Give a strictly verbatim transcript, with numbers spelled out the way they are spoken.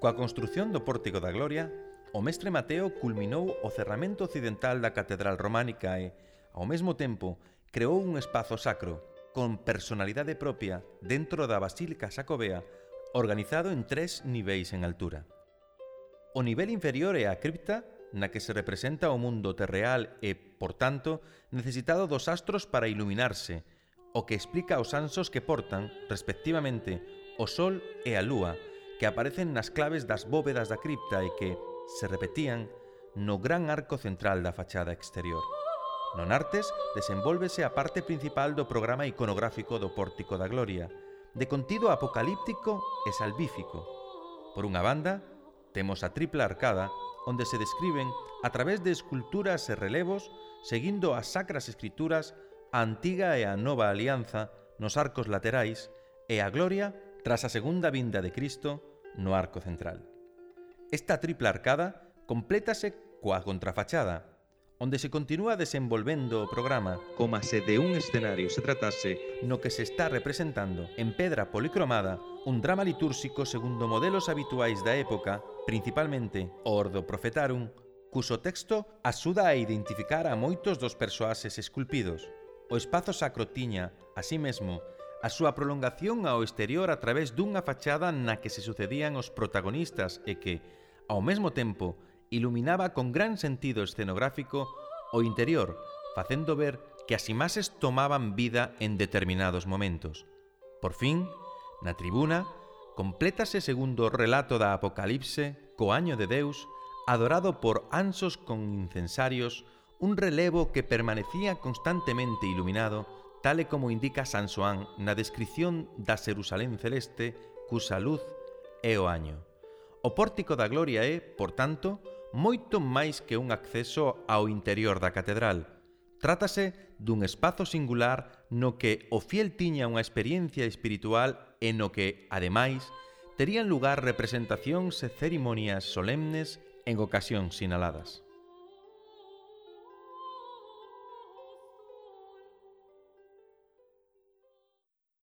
Coa construción do Pórtico da Gloria, o mestre Mateo culminou o cerramento occidental da Catedral Románica e, ao mesmo tempo, creou un espazo sacro, con personalidade propia dentro da Basílica Xacobea, organizado en tres niveis en altura. O nivel inferior é a cripta, na que se representa o mundo terreal e, por tanto, necesitado dos astros para iluminarse, o que explica os anxos que portan, respectivamente, o Sol e a Lúa, que aparecen nas claves das bóvedas da cripta e que se repetían no gran arco central da fachada exterior. Non artes desenvólvese a parte principal do programa iconográfico do Pórtico da Gloria, de contido apocalíptico e salvífico. Por unha banda, temos a tripla arcada, onde se describen, a través de esculturas e relevos, seguindo as sacras escrituras, a antiga e a nova alianza nos arcos laterais e a gloria tras a segunda vinda de Cristo no arco central. Esta tripla arcada complétase coa contrafachada, onde se continúa desenvolvendo o programa como se de un escenario se tratase no que se está representando en pedra policromada un drama litúrxico segundo modelos habituais da época, principalmente o Ordo Profetarum, cuso texto axuda a identificar a moitos dos persoaxes esculpidos. O espazo sacro tiña, así mesmo, a súa prolongación ao exterior a través dunha fachada na que se sucedían os protagonistas e que, ao mesmo tempo, iluminaba con gran sentido escenográfico o interior, facendo ver que as imaxes tomaban vida en determinados momentos. Por fin, na tribuna, complétase segundo o relato da Apocalipse, co año de Deus, adorado por anxos con incensarios, un relevo que permanecía constantemente iluminado, tal e como indica San Xoán na descrición da Xerusalén celeste, cusa luz é o año. O Pórtico da Gloria é, por tanto, moito máis que un acceso ao interior da catedral. Trátase dun espazo singular no que o fiel tiña unha experiencia espiritual e no que, ademais, terían lugar representacións e cerimonias solemnes en ocasións sinaladas.